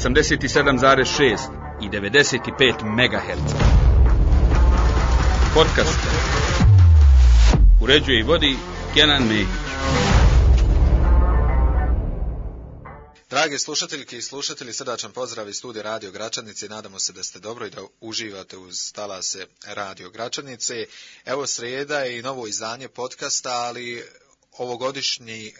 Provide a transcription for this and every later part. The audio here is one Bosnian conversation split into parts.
87,6 i 95 MHz. Podcast uređuje i vodi Kenan Mehić. Dragi slušateljke i slušatelji, srdačan pozdrav iz studija Radio Gračanice. Nadamo se da ste dobro i da uživate uz talase Radio Gračanice. Evo srijeda je i novo izdanje podcasta, ali ovogodišnji,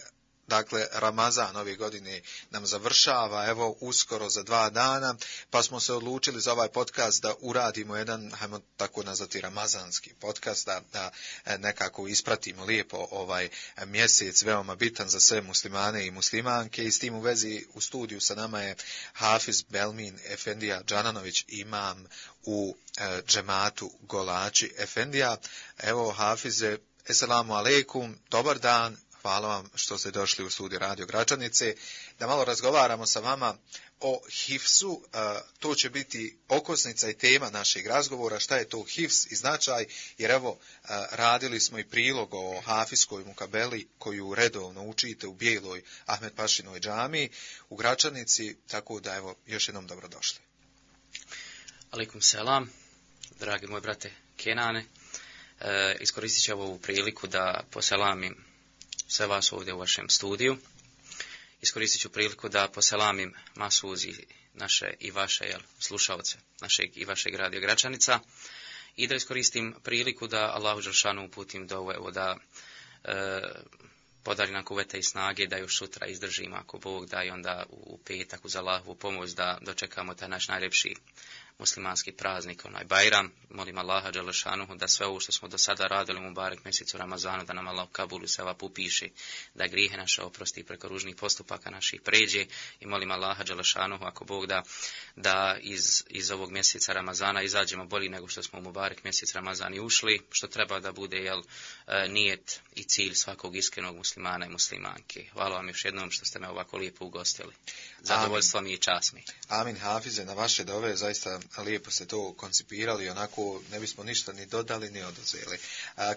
dakle, Ramazan ove godine nam završava, evo, uskoro za 2 dana, pa smo se odlučili za ovaj podcast da uradimo jedan, hajmo tako nazvati, ramazanski podcast, da nekako ispratimo lijepo ovaj mjesec, veoma bitan za sve muslimane i muslimanke. I s tim u vezi u studiju sa nama je Hafiz Belmin Efendija Džananović, imam u džematu Golači Efendija. Evo, Hafize, eselamu alejkum, dobar dan. Hvala vam što ste došli u studiju Radio Gračanice, da malo razgovaramo sa vama o hifzu. To će biti okosnica i tema našeg razgovora, šta je to hifz i značaj, jer evo, radili smo i prilog o hafizskoj mukabeli koju redovno učite u Bijeloj Ahmed Pašinoj džamiji u Gračanici, tako da evo, još jednom dobrodošli. Alejkum selam, dragi moj brate Kenane. Iskoristit ću ovu priliku da poselamim sve vas ovdje u vašem studiju. Iskoristit ću priliku da poselamim masuzi naše i vaše slušalce, našeg i vašeg Radio Gračanica, i da iskoristim priliku da Allahu dželešanu uputim dovu, da podari nam kuvveta i snage, da još sutra izdržimo ako Bog da, i onda u petak uz Allahovu pomoć da dočekamo taj naš najljepši muslimanski praznik, onaj Bajram. Molim Allaha dželešanuhu da sve ovo što smo do sada radili u Mubarek mjesecu Ramazanu, da nam Allah kabulu sevap upiše, da grijehe naše oprosti, preko ružnih postupaka naših pređe, i molim Allaha dželešanuhu ako Bog da iz ovog mjeseca Ramazana izađemo bolji nego što smo u Mubarek mjesec Ramazan i ušli, što treba da bude nijet i cilj svakog iskrenog muslimana i muslimanke. Hvala vam još jednom što ste me ovako lijepo ugostili. Zadovoljstvo mi i čast mi. Amin, Hafize, na vaše dove, zaista lijepo ste to koncipirali, onako ne bismo ništa ni dodali ni oduzeli.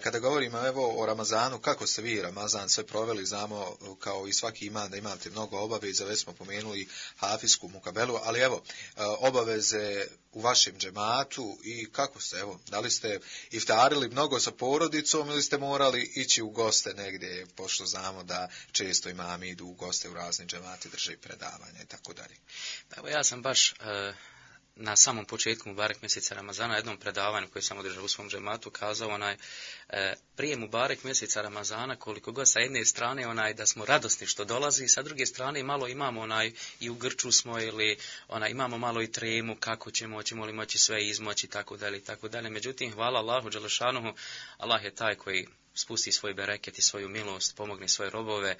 Kada govorimo evo o Ramazanu, kako ste vi Ramazan sve proveli, znamo kao i svaki iman da imate mnogo obaveza, već smo pomenuli hafizsku mukabelu, ali evo, obaveze u vašem džematu i kako ste, evo, da li ste iftarili mnogo sa porodicom ili ste morali ići u goste negdje, pošto znamo da često imami idu u goste u razni džemati, drže predavanja i tako dalje. Evo, ja sam baš na samom početku Mubarek mjeseca Ramazana, jednom predavanju koje sam održao u svom džematu, kazao prije Mubarek mjeseca Ramazana, koliko god sa jedne strane da smo radosni što dolazi, sa druge strane malo imamo i u grču smo, ili imamo malo i tremu kako ćemo li moći sve izmoći, tako dalje. Međutim, hvala Allahu dželešanuhu, Allah je taj koji spusti svoj bereket i svoju milost, pomogne svoje robove,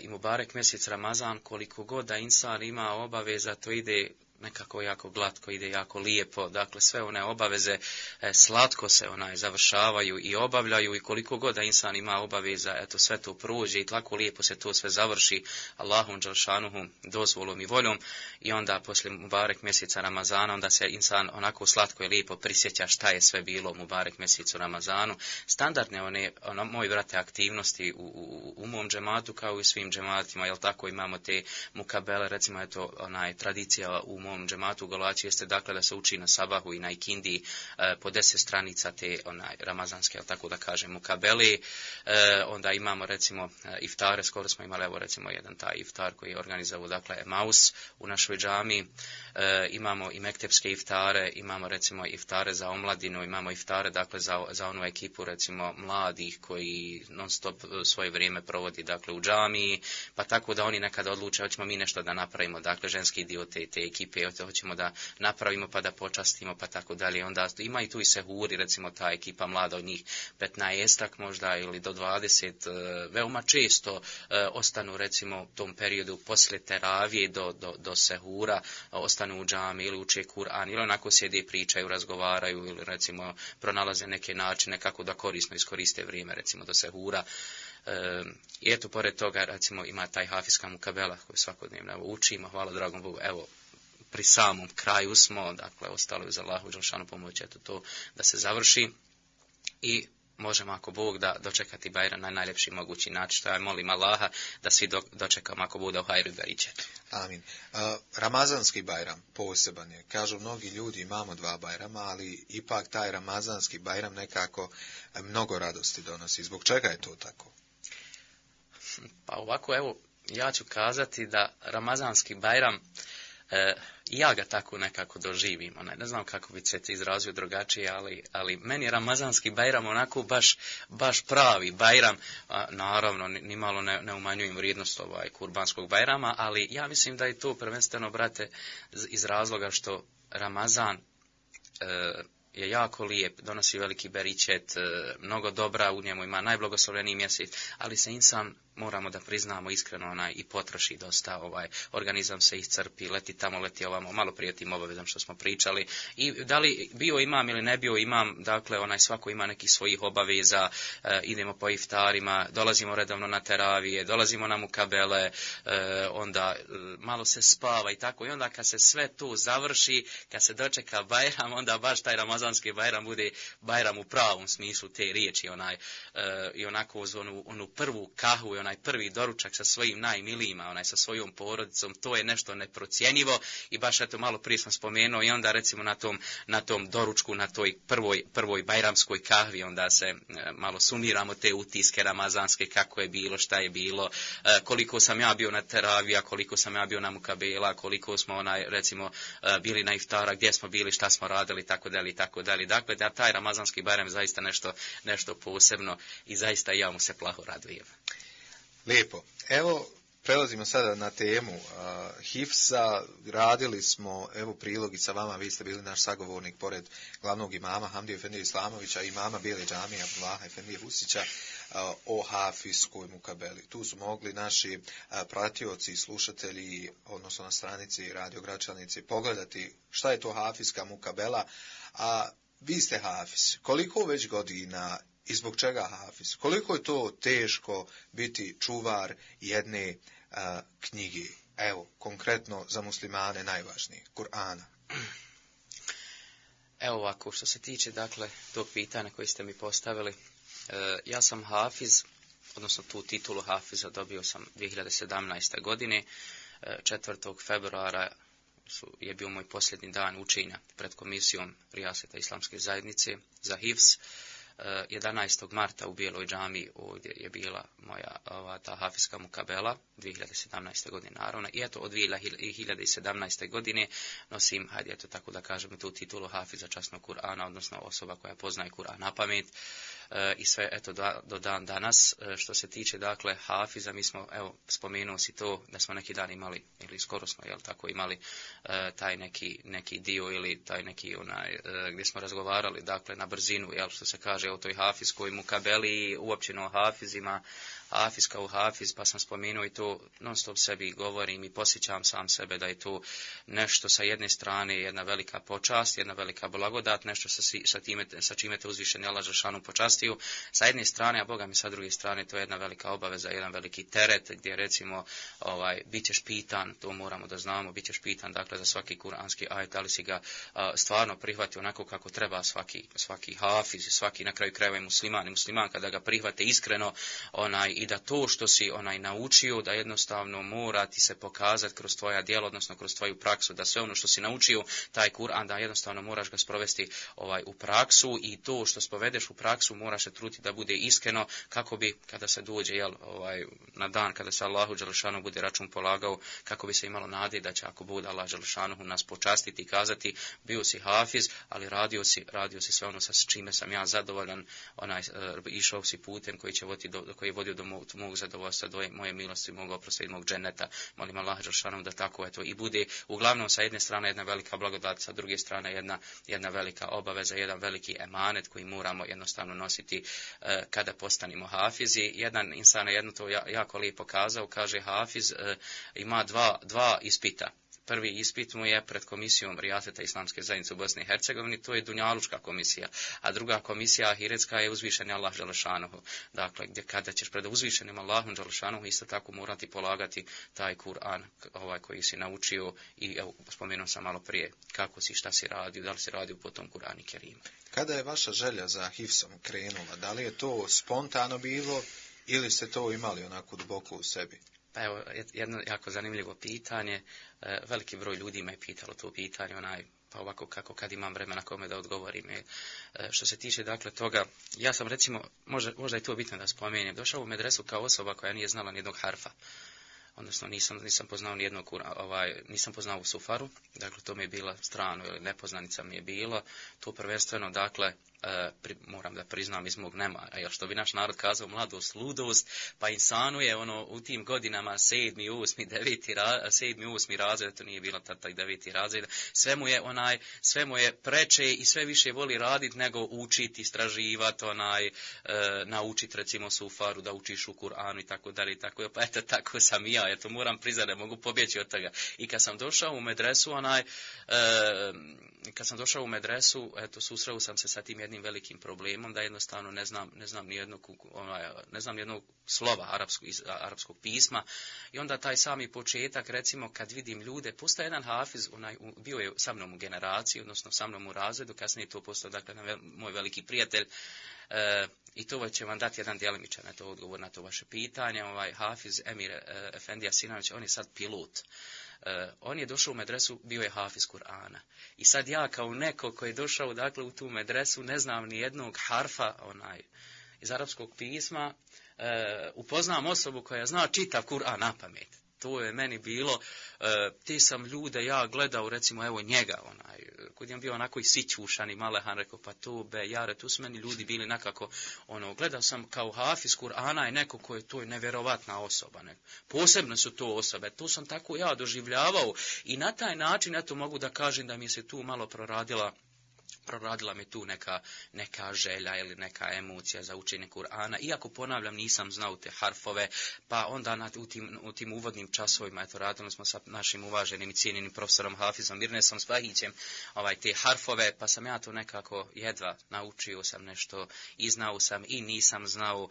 i Mubarek mjesec Ramazan, koliko god da insan ima obaveza, to ide nekako jako glatko, ide jako lijepo. Dakle, sve one obaveze slatko se završavaju i obavljaju, i koliko god da insan ima obaveza, eto, sve to prođe i tako lijepo se to sve završi Allahom dželšanuhu dozvolom i voljom. I onda poslije Mubarek mjeseca Ramazana, onda se insan onako slatko i lijepo prisjeća šta je sve bilo u Mubarek mjesecu Ramazanu. Standardne moji brate aktivnosti u mom džematu, kao i svim džematima, jel tako, imamo te mukabele, recimo tradicija u mom džematu u Golači jeste, dakle, da se uči na sabahu i na ikindi po 10 stranica te ramazanske, tako da kažem, mukabeli. Onda imamo recimo iftare, skoro smo imali evo recimo jedan taj iftar koji je organizovao, dakle, Emaus u našoj džami. Imamo i mektepske iftare, imamo recimo iftare za omladinu, imamo iftare, dakle, za onu ekipu recimo mladih koji non stop svoje vrijeme provodi, dakle, u džamiji, pa tako da oni nekada odluče hoćemo mi nešto da napravimo, dakle, ženski dio te ekipe hoćemo da napravimo pa da počastimo, pa tako dalje. Onda ima i tu i sehuri, recimo ta ekipa mlada, od njih 15 možda ili do 20, veoma često ostanu recimo u tom periodu poslije teravije do sehura, ostanu u džami ili uče Kur'an, ili onako sjede, pričaju, razgovaraju, ili recimo pronalaze neke načine kako da korisno iskoriste vrijeme recimo do sehura. I eto, pored toga recimo ima taj hafizska mukabela koju svakodnevno učimo, hvala dragom Bogu, evo, pri samom kraju smo, dakle, ostalo je za Allahu dželešanu pomoć, eto to da se završi. I možemo ako Bog da dočekati Bajram na najljepši mogući način. Što ja molim Allaha da svi dočekamo ako bude u hajru i beričetu. Amin. Ramazanski Bajram poseban je. Kažu mnogi ljudi imamo 2 Bajrama, ali ipak taj Ramazanski Bajram nekako mnogo radosti donosi. Zbog čega je to tako? Pa ovako, evo, ja ću kazati da Ramazanski Bajram, ja ga tako nekako doživim. Ne znam kako bi se izrazio drugačije, ali meni je Ramazanski Bajram onako baš pravi Bajram. Naravno, nimalo ne umanjujem vrijednost kurbanskog Bajrama, ali ja mislim da je to prvenstveno, brate, iz razloga što Ramazan je jako lijep, donosi veliki beričet, mnogo dobra, u njemu ima najblagoslovljeniji mjesec, ali se insan, moramo da priznamo iskreno, i potroši dosta, organizam se iscrpi, leti tamo, leti ovamo, malo prije tim obavezom što smo pričali. I da li bio imam ili ne bio imam, dakle, svako ima nekih svojih obaveza, idemo po iftarima, dolazimo redovno na teravije, dolazimo na mukabele, onda malo se spava i tako. I onda kad se sve tu završi, kad se dočeka Bajram, onda baš taj Ramazanski Bajram bude Bajram u pravom smislu te riječi, i onako uz onu prvu kahvu i onaj prvi doručak sa svojim najmilijima, sa svojom porodicom, to je nešto neprocjenjivo. I baš eto malo prije sam spomenuo, i onda recimo na tom doručku, na toj prvoj bajramskoj kahvi, onda se malo sumiramo te utiske ramazanske, kako je bilo, šta je bilo, koliko sam ja bio na teravija, koliko sam ja bio na mukabela, koliko smo recimo bili na iftara, gdje smo bili, šta smo radili, tako dalje i tako dalje. Dakle, da taj Ramazanski Bajram zaista nešto posebno i zaista ja mu se plaho radujem. Lijepo. Evo, prelazimo sada na temu Hifza. Radili smo, evo, prilogi sa vama, vi ste bili naš sagovornik pored glavnog imama Hamdije Efendije Islamovića i imama Bijele džamije Abdullaha Efendije Husića o hafizskoj mukabeli. Tu su mogli naši pratioci i slušatelji, odnosno na stranici Radio Gračanici, pogledati šta je to hafizska mukabela, a vi ste hafiz. Koliko već godina i zbog čega hafiz? Koliko je to teško biti čuvar jedne knjige? Evo, konkretno za muslimane najvažnije, Kur'ana. Evo ovako, što se tiče, dakle, tog pitanja koji ste mi postavili, ja sam hafiz, odnosno tu titulu hafiza dobio sam 2017. godine, 4. februara je bio moj posljednji dan učenja pred komisijom Rijaseta Islamske zajednice za hifz. 11. marta u Bijeloj džamiji ovdje je bila moja ta hafizska mukabela 2017. godine naravno, i eto od 2017. godine nosim, hajde eto tako da kažem, tu titulu hafiza časnog Kur'ana, odnosno osoba koja poznaje Kur'an na pamet, i sve eto do dan danas. Što se tiče dakle hafiza, mi smo, evo spomenuo si to da smo neki dan imali, ili skoro smo tako imali taj neki dio ili taj neki gdje smo razgovarali dakle na brzinu, što se kaže o toj hafizskoj mukabeli, uopćeno o hafizima, hafiz kao hafiz, pa sam spomenuo i to, non stop sebi govorim i posjećam sam sebe da je to nešto sa jedne strane jedna velika počast, jedna velika blagodat, nešto sa čime te uzvišeni Allah dželešanu počastio sa jedne strane, a Boga mi sa druge strane to je jedna velika obaveza, jedan veliki teret gdje recimo bit ćeš pitan, to moramo da znamo, bit ćeš pitan dakle za svaki kuranski ajet, ali si ga stvarno prihvati onako kako treba svaki hafiz, svaki na kraju krajeva i musliman i muslimanka da ga prihvate iskreno, i da to što si naučio, da jednostavno mora ti se pokazati kroz tvoja djela, odnosno kroz tvoju praksu, da sve ono što si naučio, taj Kur'an, da jednostavno moraš ga sprovesti u praksu, i to što spovedeš u praksu moraš se truditi da bude iskreno, kako bi kada se dođe na dan kada se Allahu dželešanu bude račun polagao, kako bi se imalo nade da će, ako bude Allah dželešanu nas počastiti i kazati bio si hafiz, ali radio si sve ono sa čime sam ja zadovoljan, išao si putem koji je vodio do mog zadovoljstva, do moje milosti, mog oprosta i mog dženeta. Molim Allah dželešanu da tako i bude. Uglavnom sa jedne strane jedna velika blagodat, sa druge strane jedna velika obaveza, jedan veliki emanet koji moramo jednostavno nositi kada postanemo hafizi. Jedan insan je jedno to jako lijepo kazao, kaže hafiz ima dva ispita. Prvi ispit mu je pred komisijom Rijaseta Islamske zajednice u Bosni i Hercegovini, to je dunjalučka komisija, a druga komisija ahiretska je uzvišeni Allah dželešanu. Dakle, kada ćeš pred uzvišenim Allahom dželešanu isto tako morati polagati taj Kur'an koji si naučio i evo spomenuo sam malo prije kako si, šta si radio, da li si radio po tom Kur'anu Kerimu. Kada je vaša želja za hifsom krenula? Da li je to spontano bilo ili ste to imali onako duboko u sebi? Pa evo, jedno jako zanimljivo pitanje. Veliki broj ljudi me je pitalo to pitanje, pa ovako kako kad imam vremena kome da odgovorim. Što se tiče dakle toga, ja sam recimo, možda je to bitno da spomenem, došao u medresu kao osoba koja nije znala nijednog harfa. Odnosno nisam poznao nijednog, nisam poznao sufaru, dakle to mi je bila strano ili nepoznanica mi je bilo, to prvenstveno dakle moram da priznam iz mog nemara, jer što bi naš narod kazao mladost, ludost, pa insanu je u tim godinama 7., 8. razred, to nije bilo taj 9. razred, sve mu je preče i sve više voli raditi nego učiti, istraživati, naučiti recimo sufaru, da učiš u Kur'anu i tako dalje, pa eto tako sam i ja, eto moram priznati, ne mogu pobjeći od toga. I kad sam došao u medresu, eto susreo sam se sa tim jednim velikim problemom da jednostavno ne znam nijednog slova arapskog pisma i onda taj sami početak, recimo kad vidim ljude, postao jedan hafiz, bio je sa mnom u generaciji, odnosno sa mnom u razredu, kasnije to postao dakle moj veliki prijatelj. I to će vam dati jedan djelimičan odgovor na to vaše pitanje. Hafiz Emir Efendija Sinović, on je sad pilot. On je došao u medresu, bio je hafiz Kur'ana. I sad ja kao neko koji je došao dakle u tu medresu, ne znam ni jednog harfa iz arapskog pisma, upoznam osobu koja zna čitav Kur'an na pamet. To je meni bilo, ti sam ljude ja gledao, recimo evo njega, kod je bio onako i sićušan i malehan, rekao pa to jare, tu su meni ljudi bili nekako, gledao sam kao hafiz Kur'ana i neko ko je to nevjerovatna osoba, posebno su to osobe, to sam tako ja doživljavao i na taj način, eto mogu da kažem da mi se tu malo proradila mi tu neka želja ili neka emocija za učenje Kur'ana, iako ponavljam nisam znao te harfove, pa onda u tim uvodnim časovima, eto radili smo sa našim uvaženim i cijenjenim profesorom Hafizom Mirnesom Spahićem, te harfove, pa sam ja to nekako jedva naučio sam nešto i znao sam i nisam znao.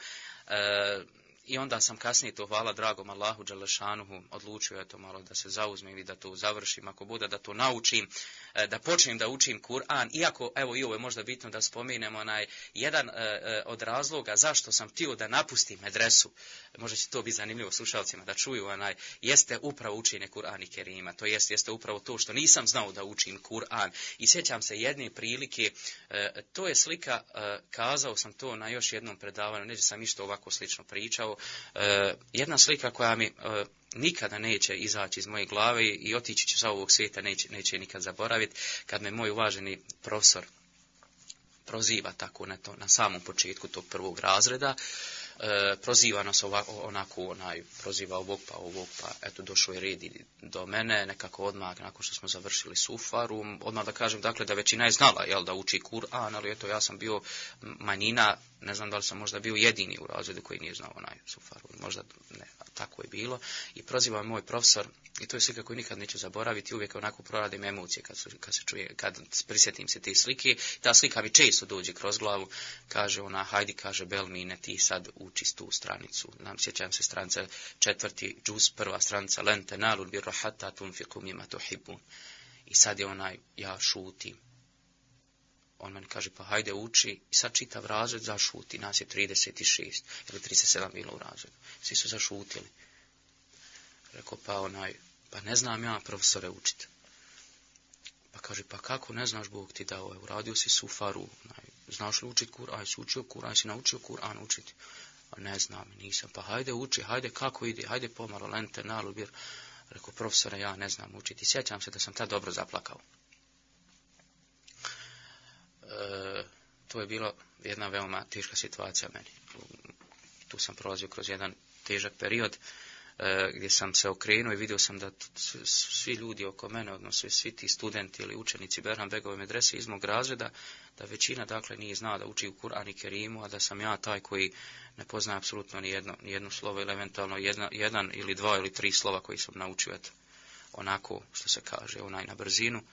I onda sam kasnije to, hvala dragom Allahu dželešanuhu, odlučio to malo da se zauzmem i da to završim, ako bude da to naučim, da počnem da učim Kur'an, iako, evo i ovo je možda bitno da spomenem, jedan od razloga zašto sam htio da napustim medresu, možda će to biti zanimljivo slušalcima da čuju, jeste upravo učenje Kur'ana i Kerima, to jeste upravo to što nisam znao da učim Kur'an. I sjećam se jedne prilike, to je slika, kazao sam to na još jednom predavanju, neće sam isto ovako slično pričao, jedna slika koja mi nikada neće izaći iz moje glave i otići ću sa ovog svijeta, neće nikad zaboraviti, kad me moj uvaženi profesor proziva tako na samom početku tog prvog razreda, proziva nas onako, proziva ovog, pa eto došao je red do mene, nekako odmah, nakon što smo završili sufaru, odmah da kažem, dakle, da većina je znala, da uči Kur'an, ali eto, ja sam bio manjina, ne znam da li sam možda bio jedini u razredu koji nije znao sufaru, možda ne, tako je bilo, i proziva moj profesor, i to je slika koju nikad neću zaboraviti, uvijek onako proradim emocije kad prisjetim se te slike, ta slika mi često dođe kroz glavu, kaže hajdi, kaže Belmine, ti sad uči tu stranicu, sjećam se stranice 4. džuz, 1. stranica, len tenalul birra hatta tunfiqu mimma tuhibbun. I sad je ja šutim. On meni kaže, pa hajde uči, i sad čitav razred zašuti, nas je 36 ili 37 bilo u razredu. Svi su zašutili. Rekao, pa ne znam ja profesore učiti. Pa kaže, pa kako ne znaš, Bog ti dao, uradio si sufaru, znaš li učiti Kur'an, si učio Kur'an, si naučio Kur'an učiti. A ne znam, nisam, pa hajde uči, hajde kako ide, hajde pomalo, lente, nalubir. Rekao, profesore, ja ne znam učiti. Sjećam se da sam tad dobro zaplakao. To je bilo jedna veoma teška situacija meni. Tu sam prolazio kroz jedan težak period gdje sam se okrenuo i vidio sam da svi ljudi oko mene, odnosno svi ti studenti ili učenici Berhan Begove medrese iz mog razreda, da većina dakle nije znala da uči u Kur'an i Kerimu, a da sam ja taj koji ne poznaje apsolutno ni jedno slovo ili eventualno jedan ili dva ili tri slova koji sam naučio, onako što se kaže, na brzinu.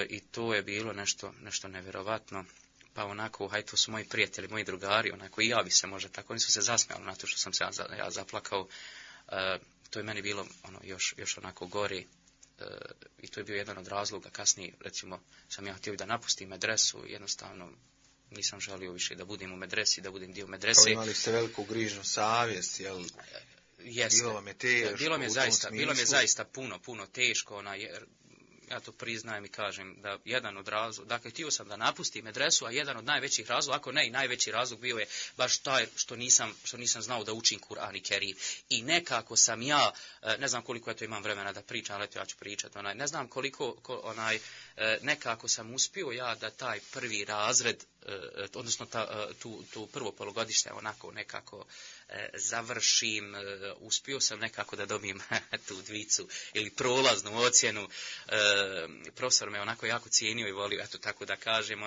I to je bilo nešto nevjerovatno. pa onako, haj, to su moji prijatelji, moji drugari, onako, i ja bi se možda tako, oni su se zasmijali na to što sam se ja zaplakao, to je meni bilo, još onako gori, i to je bio jedan od razloga, kasnije, recimo, sam ja htio da napustim medresu, jednostavno, nisam želio više da budem u medresi, da budem dio medrese. Kao imali ste veliku grižnu savjest, jel? Jeste. Bilo vam je teško, bilo mi je zaista puno teško, jer ja to priznajem i kažem da jedan od razloga, dakle htio sam da napustim medresu, a jedan od najvećih razloga, ako ne i najveći razlog bio je baš taj što nisam znao da učim Kur'an i Kerim. I nekako sam ja, ne znam koliko ja to imam vremena da pričam, ali ja ću pričati, ne znam koliko nekako sam uspio ja da taj prvi razred, odnosno tu prvo polugodište onako nekako završim, uspio sam nekako da dobijem tu dvicu ili prolaznu ocjenu. Profesor me onako jako cijenio i volio, eto tako da kažem,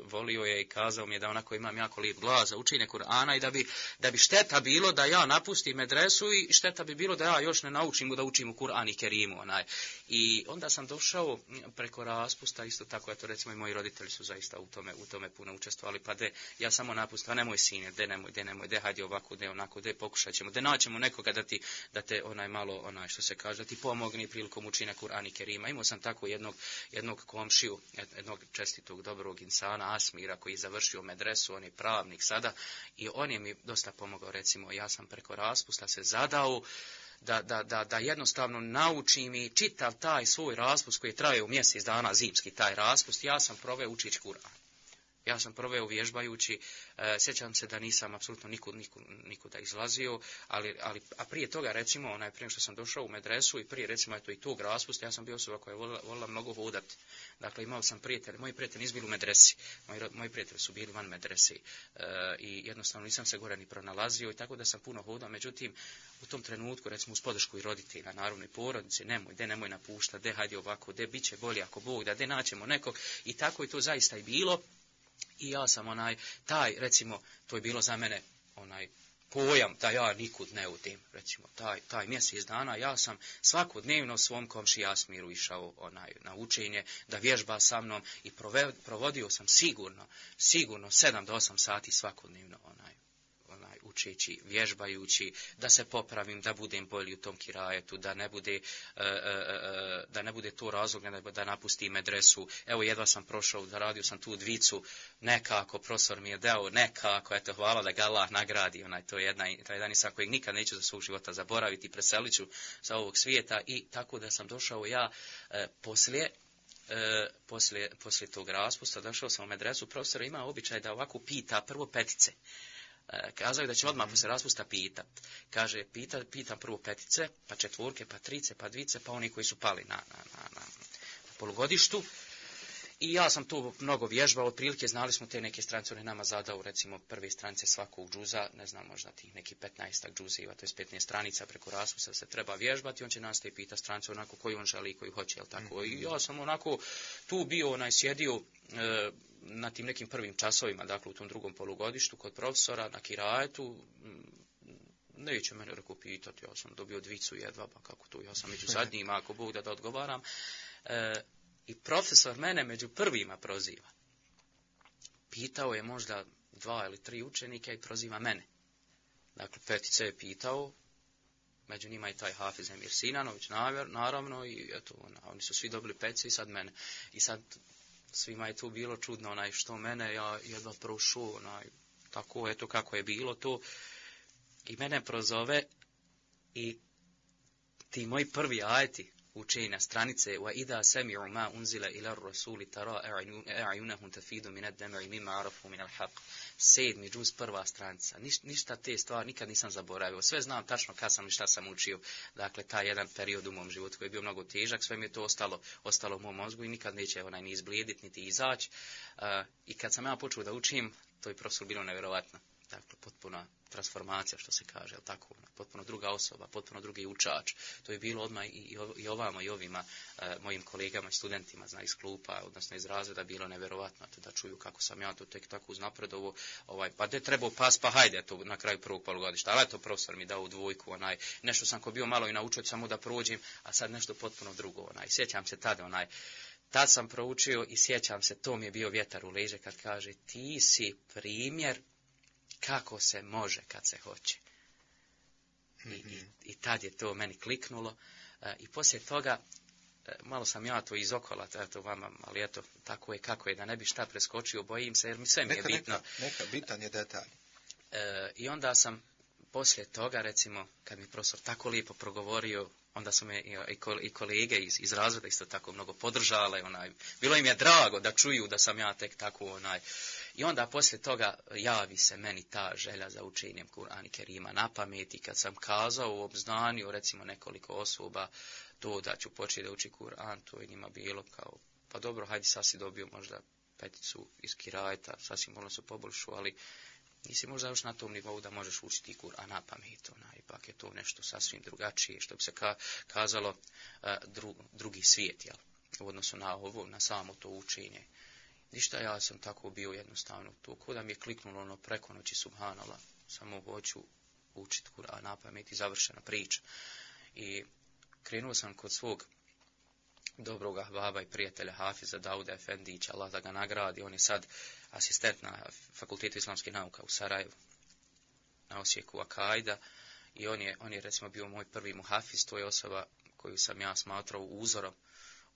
volio je i kazao mi je da onako imam jako lijep glas za učenje Kur'ana i da bi šteta bilo da ja napustim medresu i šteta bi bilo da ja još ne naučim da učim u Kur'an i Kerimu. I onda sam došao preko raspusta, isto tako, eto recimo i moji roditelji su zaista u tome puno učestvovali, pa ja samo napustim, a nemoj sine, de hajde ovako, de onako, de pokušat ćemo, de naćemo nekoga da te malo, što se kaže, da ti pomogne prilikom učenja Kur'ana i Kerima. Imao sam tako jednog komšiju, jednog čestitog, dobrog insana, Asmira, koji je završio medresu, on je pravnik sada, i on je mi dosta pomogao, recimo, ja sam preko raspusta se zadao da jednostavno naučim i čitav taj svoj raspust koji je trajao mjesec dana, zimski taj raspust, ja sam proveo učići Kur'an. Ja sam proveo vježbajući, sjećam se da nisam apsolutno nikuda izlazio, a prije toga, recimo, prije što sam došao u medresu i prije, recimo, i tog raspusta, ja sam bio osoba koja je volila mnogo hodati. Dakle, imao sam prijatelje, moji prijatelji nisu bili u medresi, moji prijatelji su bili van medresi i jednostavno nisam se gore ni pronalazio i tako da sam puno hodao, međutim, u tom trenutku, recimo, uz podršku i roditelja, naravno i porodice, nemoj napuštati, hajde ovako, bit će bolje ako Bog da, naćemo nekog, i tako je to zaista i bilo. I ja sam recimo, to je bilo za mene pojam da ja nikud ne odim, recimo, taj mjesec dana, ja sam svakodnevno svom komši Asmiru išao na učenje, da vježba sa mnom i provodio sam sigurno 7 do 8 sati svakodnevno učeći, vježbajući, da se popravim, da budem bolji u tom kirajetu, da ne bude to razlog da napustim medresu. Evo, jedva sam prošao, da radio sam tu dvicu, nekako, profesor mi je dao, nekako, eto, hvala da ga Allah nagradi, to je jedan isa kojeg nikad neću za svog života zaboraviti, preselit ću sa ovog svijeta, i tako da sam došao ja poslije tog raspusta, došao sam u medresu, profesor ima običaj da ovako pita prvo petice. Kazao je da će odmah poslije raspusta pitat. Kaže, pitam prvo petice, pa četvorke, pa trice, pa dvice, pa oni koji su pali na polugodištu. I ja sam tu mnogo vježbao, otprilike znali smo te neke stranice, on je nama zadao, recimo, prve stranice svakog džuza, ne znam, možda tih neki 15 džuziva, to je 15 stranica preko raspusta se treba vježbati, on će nas te pita stranicu onako koju on želi i koju hoće, jel tako? I ja sam onako tu bio, sjedio na tim nekim prvim časovima, dakle u tom drugom polugodištu kod profesora na kirajetu, neće mene rekao pitati, ja sam dobio dvicu jedva, pa kako to, ja sam među zadnjima, ako Bog da odgovaram. I profesor mene među prvima proziva. Pitao je možda 2 ili 3 učenika i proziva mene. Dakle, petice je pitao, među njima i taj Hafiz Emir Sinanović, naravno, i eto, oni su svi dobili petice i sad mene. I sad svima je tu bilo čudno, što mene, ja jedva prošao, tako, eto kako je bilo to. I mene prozove i ti moji prvi ajeti učenja stranice وَإِذَا سَمِعُوا مَا أُنزِلَ إِلَى الرَّسُولِ تَرَى أَعْيُنَهُمْ تَفِيضُ مِنَ الدَّمْعِ مِمَّا عَرَفُوا مِنَ الْحَقِّ. 7. džuz, prva stranica. Ništa te stvari nikad nisam zaboravio. Sve znam tačno kad sam i šta sam učio. Dakle, taj jedan period u mom životu koji je bio mnogo težak, sve mi je to ostalo u mom mozgu i nikad neće ni izblijediti, niti izaći. I kad sam ja počeo da učim, to je profesor bilo nevjerovatno. dakle, potpuna transformacija, što se kaže, jel tako, potpuno druga osoba, potpuno drugi učač. To je bilo odmah i ovamo i ovima mojim kolegama i studentima, iz klupa, odnosno iz razreda, bilo neverovatno da čuju kako sam ja to tek tako uznapredovo, pa gdje trebao pas, pa hajde to na kraju prvog polugodišta, ali eto profesor mi dao u dvojku, nešto sam ko bio malo i naučio samo da prođem, a sad nešto potpuno drugo, sjećam se tada, tad sam proučio i sjećam se, to mi je bio vjetar u leđe kad kaže ti si primjer kako se može kad se hoće. I tad je to meni kliknulo i poslije toga malo sam ja to izokola, eto vama, ali eto, tako je kako je, da ne bi šta preskočio, bojim se, jer mi sve mi je bitno. Neka, bitan je detalj. I onda sam poslije toga, recimo, kad mi profesor tako lijepo progovorio, onda su me i kolege iz razreda isto tako mnogo podržale, bilo im je drago da čuju da sam ja tek tako, I onda poslije toga javi se meni ta želja za učenjem Kur'ana Kerima na pamet i kad sam kazao u obznanju, recimo nekoliko osoba, to da ću početi da uči Kur'an, to je njima bilo kao, pa dobro, hajde sad si dobio možda 5 iz kirajeta, sasvim možda su poboljšu, ali nisi možda još na tom nivou da možeš učiti Kur'an na pamet, ipak je to nešto sasvim drugačije, što bi se kazalo drugi svijet, jel? U odnosu na ovo, na samo to učenje. Ništa, ja sam tako bio jednostavno to, ko da mi je kliknulo preko noći, subhanallah, samo hoću učiti Kur'an na pamet i završena priča. I krenuo sam kod svog dobroga baba i prijatelja Hafiza Dauda Efendića, Allah da ga nagradi, on je sad asistent na Fakultetu islamskih nauka u Sarajevu, na Osijeku Akajda, i on je recimo bio moj prvi muhafiz, to je osoba koju sam ja smatrao uzorom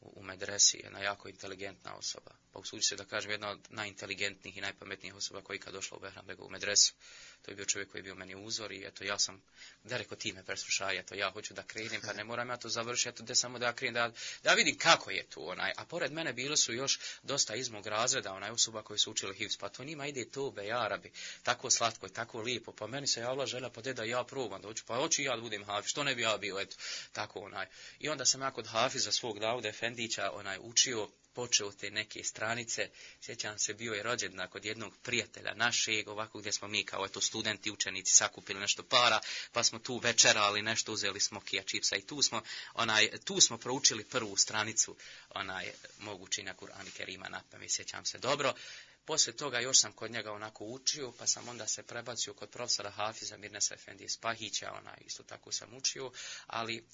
u medresi, jedna jako inteligentna osoba. Pa usudi se da kažem, jedna od najinteligentnijih i najpametnijih osoba koji kad došla u Behrambegovu medresu. To je bio čovjek koji je bio meni uzor i eto ja sam, da rekao ti me preslušaj, eto ja hoću da krenem, pa ne moram ja to završiti, eto da samo da krenem, da vidim kako je tu a pored mene bilo su još dosta iz mog razreda, osoba koji su učili hifz, pa to njima ide to be Arabi, tako slatko i tako lijepo, pa meni se javila želja, pa da ja probam da hoću, pa hoću ja da budem hafiz, što ne bi ja bio, eto, tako I onda sam ja kod hafiza svog Dauda Efendića učio, počeo te neke stranice, sjećam se, bio je rođendan kod jednog prijatelja našeg, ovako gdje smo mi kao eto studenti, učenici sakupili nešto para, pa smo tu večerali nešto, uzeli smo kija čipsa i tu smo proučili prvu stranicu mog učenja Kur'ana Kerima na pamet, sjećam se dobro. Poslije toga još sam kod njega onako učio, pa sam onda se prebacio kod profesora Hafiza Mirnesa Efendije Spahića, isto tako sam učio, ali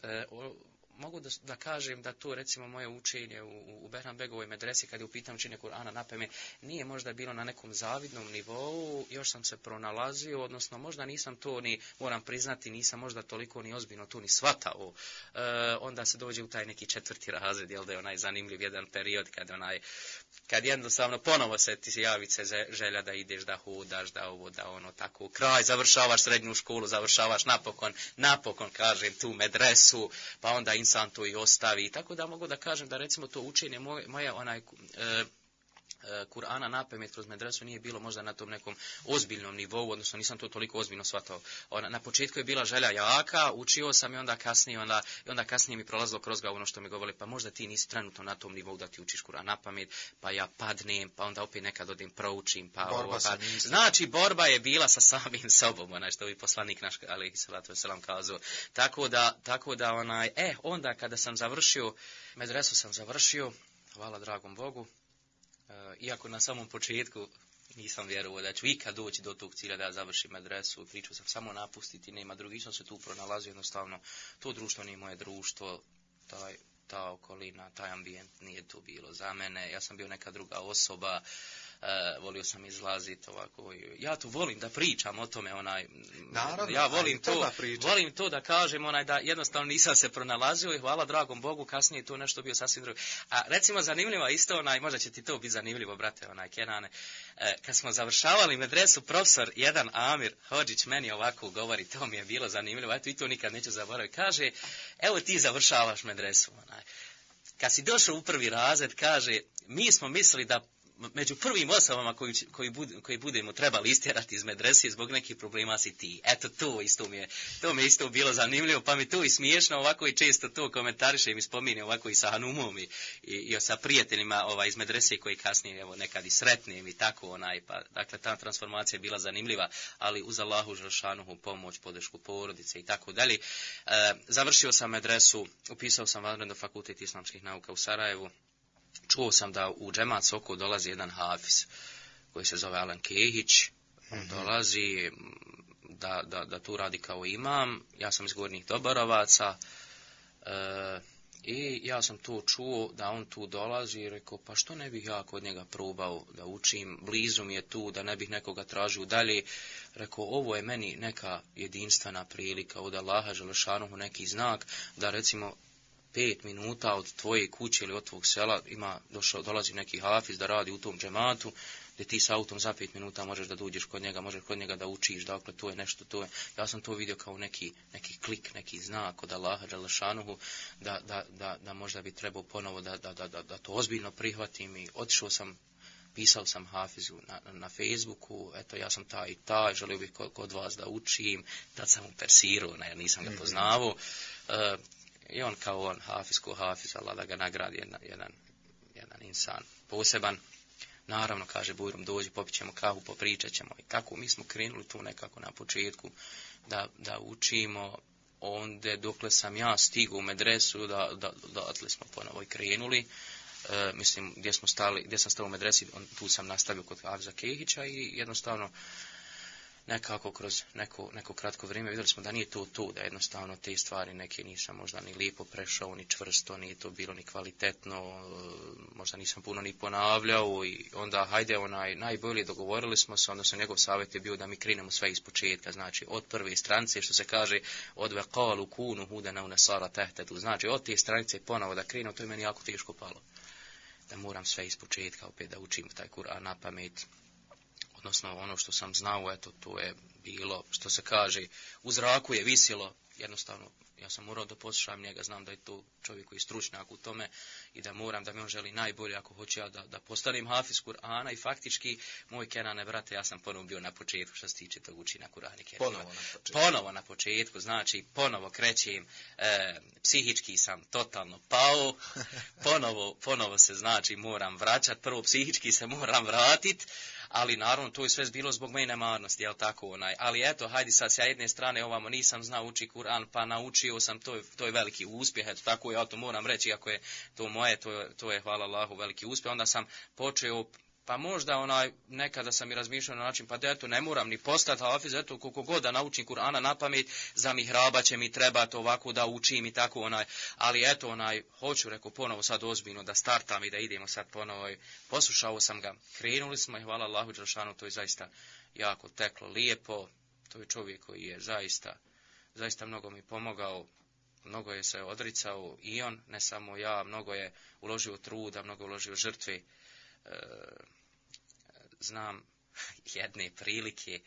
mogu da kažem da to recimo moje učenje u Behrambegovoj medresi kad je u pitanju učenja Kur'ana na pamet nije možda bilo na nekom zavidnom nivou, još sam se pronalazio, odnosno možda nisam to ni, moram priznati, nisam možda toliko ni ozbiljno tu ni shvatao. Onda se dođe u taj neki 4. razred, jel da je zanimljiv jedan period kad jednostavno ponovo se ti javi se želja da ideš, da hodaš, da ovo, da ono, tako, kraj, završavaš srednju školu, završavaš napokon, kažem, tu medresu, pa onda insan to i ostavi. Tako da mogu da kažem da recimo to učenje moje Kur'ana na pamet kroz medresu nije bilo možda na tom nekom ozbiljnom nivou, odnosno nisam to toliko ozbiljno shvatao. Na početku je bila želja jaka, učio sam i onda kasnije mi prolazilo kroz glavu ono što mi govorili, pa možda ti nisi trenutno na tom nivou da ti učiš Kur'an na pamet, pa ja padnem, pa onda opet nekad odem proučim, Znači, borba je bila sa samim sobom, što bi poslanik naš, alejhi salatu vesselam, kazao. Tako da onda kada sam završio, medresu sam završio, hvala dragom Bogu, iako na samom početku nisam vjerovao da ću ikad doći do tog cilja da završim medresu, pričao sam samo napustiti, nema drugi, sam se tu pronalazio, jednostavno to društvo nije moje društvo, ta okolina, taj ambijent nije to bilo za mene, ja sam bio neka druga osoba, volio sam izlaziti ovako, ja tu volim da pričam o tome, naravno, ja volim to da kažem, da jednostavno nisam se pronalazio i hvala dragom Bogu, kasnije je to nešto bio sasvim drugo. A recimo zanimljivo isto, možda će ti to biti zanimljivo, brate, Kenane, kad smo završavali medresu, profesor jedan Amir Hodžić meni ovako govori, to mi je bilo zanimljivo, eto i to nikad neću zaboraviti, kaže, evo ti završavaš medresu, kad si došao u 1. razred, kaže, mi smo mislili da među prvim osobama koji budemo trebali istjerati iz medrese zbog nekih problema si ti. Eto, to mi je isto bilo zanimljivo, pa mi to i smiješno, ovako i često to komentarišem i spominjem ovako i sa Hanumom i sa prijateljima iz medrese koji kasnije evo nekad i sretnem i tako pa dakle ta transformacija je bila zanimljiva, ali uz Allahu dželešanuhu pomoć, podršku porodice i tako dalje. Završio sam medresu, upisao sam vanredno fakultet islamskih nauka u Sarajevu. Čuo sam da u džemat Sokol dolazi jedan hafiz koji se zove Alan Kehić. On dolazi da tu radi kao imam. Ja sam iz Gornjih Doborovaca i ja sam to čuo da on tu dolazi i rekao pa što ne bih ja kod njega probao da učim, blizu mi je tu, da ne bih nekoga tražio dalje. Rekao ovo je meni neka jedinstvena prilika od Allaha dželešanuhu, neki znak da recimo 5 minuta od tvoje kuće ili od tvog sela dolazi neki hafiz da radi u tom džematu, gdje ti s autom za 5 minuta možeš da dođeš kod njega, možeš kod njega da učiš, dakle to je nešto, ja sam to vidio kao neki klik, neki znak od Allaha dželešanuhu, da možda bi trebao ponovo da to ozbiljno prihvatim i otišao sam, pisao sam hafizu na Facebooku, eto ja sam taj i taj, želio bih kod vas da učim, tad sam mu persirao, jer nisam ga poznavao. I on kao on, hafiz, Allah da ga nagradi jedan insan poseban. Naravno, kaže Bujrum, dođi, popit ćemo kahu, popričat ćemo. I tako mi smo krenuli tu nekako na početku da učimo. Onda dokle sam ja stigao u medresu, da smo ponovo i krenuli. Mislim, gdje sam stao u medresi, tu sam nastavio kod Hafiza Kehića i jednostavno nekako kroz neko kratko vrijeme vidjeli smo da nije to, da jednostavno te stvari neke nisam možda ni lijepo prešao, ni čvrsto, nije to bilo ni kvalitetno, možda nisam puno ni ponavljao i onda hajde najbolje dogovorili smo se, onda njegov savjet je bio da mi krenemo sve iz početka, znači od prve stranice, što se kaže od vekalu kunu hudena u nasara tehtetu, znači od te stranice ponovo da krenemo, to je meni jako teško palo, da moram sve iz početka opet da učim taj Kur'an na pamet. Odnosno ono što sam znao, eto, to je bilo, što se kaže, u zraku je visjelo, jednostavno, ja sam morao da poslušam njega, znam da je to čovjek koji je stručnjak u tome i da mi on želi najbolje ako hoće ja da postanem hafiz Kur'ana i faktički, moj Kenane, brate, ja sam ponovo bio na početku što se tiče tog učenja Kur'ana i Kerima. Ponovo na početku, znači, ponovo krećem, psihički sam totalno pao, ponovo se, znači, moram vraćati, prvo psihički se moram vratiti, ali naravno to je sve bilo zbog moje nemarnosti, jel tako ali eto, hajde sad sa jedne strane ovamo nisam znao učiti Kur'an, pa naučio sam, to je veliki uspjeh, eto tako ja to moram reći, ako je to moje, to je hvala Allahu veliki uspjeh, onda sam počeo, pa možda nekada sam i razmišljao na način, pa da eto ne moram ni postati hafiz, eto koliko god da naučim Kur'ana na pamet, za mihraba će mi trebati ovako da učim i tako ali eto hoću, rekao ponovo sad ozbiljno da startam i da idemo sad ponovo, poslušao sam ga, krenuli smo i hvala Allahu dželešanu, to je zaista jako teklo lijepo, to je čovjek koji je zaista mnogo mi pomogao, mnogo je se odricao i on, ne samo ja, mnogo je uložio truda, mnogo je uložio žrtve. Znam jedne prilike,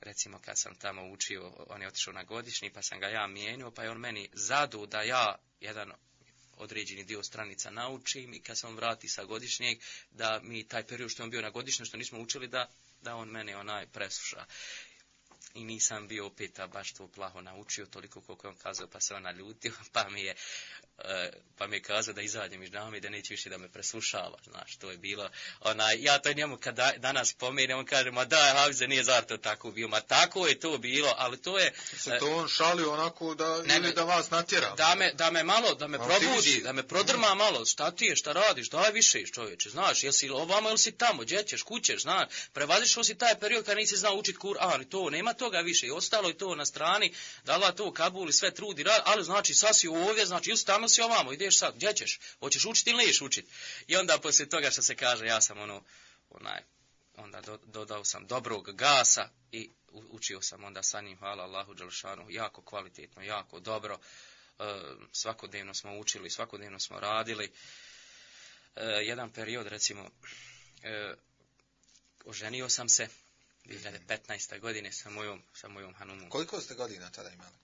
recimo kad sam tamo učio, on je otišao na godišnji, pa sam ga ja mijenio, pa je on meni zadao da ja jedan određeni dio stranica naučim i kad sam vrati sa godišnjeg, da mi taj period što je on bio na godišnjem, što nismo učili, da on mene presluša. I nisam bio opet baš to plaho naučio, toliko koliko je on kazao, pa se on naljutio, pa mi je kazao da izađem iz džamije, da neće više da me preslušava, znaš, to je bilo, ja to njemu kad danas pomenem, on kaže, ma da, Hafize, nije zar to tako bilo, ma tako je to bilo, ali to je... Se to on šalio onako da vas natjera? Da me malo, da me probudi, da me prodrma malo, šta ti je, šta radiš, daj više čovječe, znaš, jesi ovamo ili si tamo, gdje ćeš, kućeš, znaš, prevazišao si taj period kad nisi znao učiti Kur'an i to, nema toga više, i ostalo je to na strani, dala to Kabul i sve trudi, ali znači sad si ovdje, znači ili tamo si ovamo, ideš sad, gdje ćeš, hoćeš učiti ili neš učiti. I onda poslije toga što se kaže, ja sam onda dodao sam dobrog gasa i učio sam onda sa njim, hvala Allahu dželešanu, jako kvalitetno, jako dobro, svakodnevno smo učili, svakodnevno smo radili. Jedan period, recimo, oženio sam se 2015. godine sa mojom Hanumom. Koliko ste godina tada imali?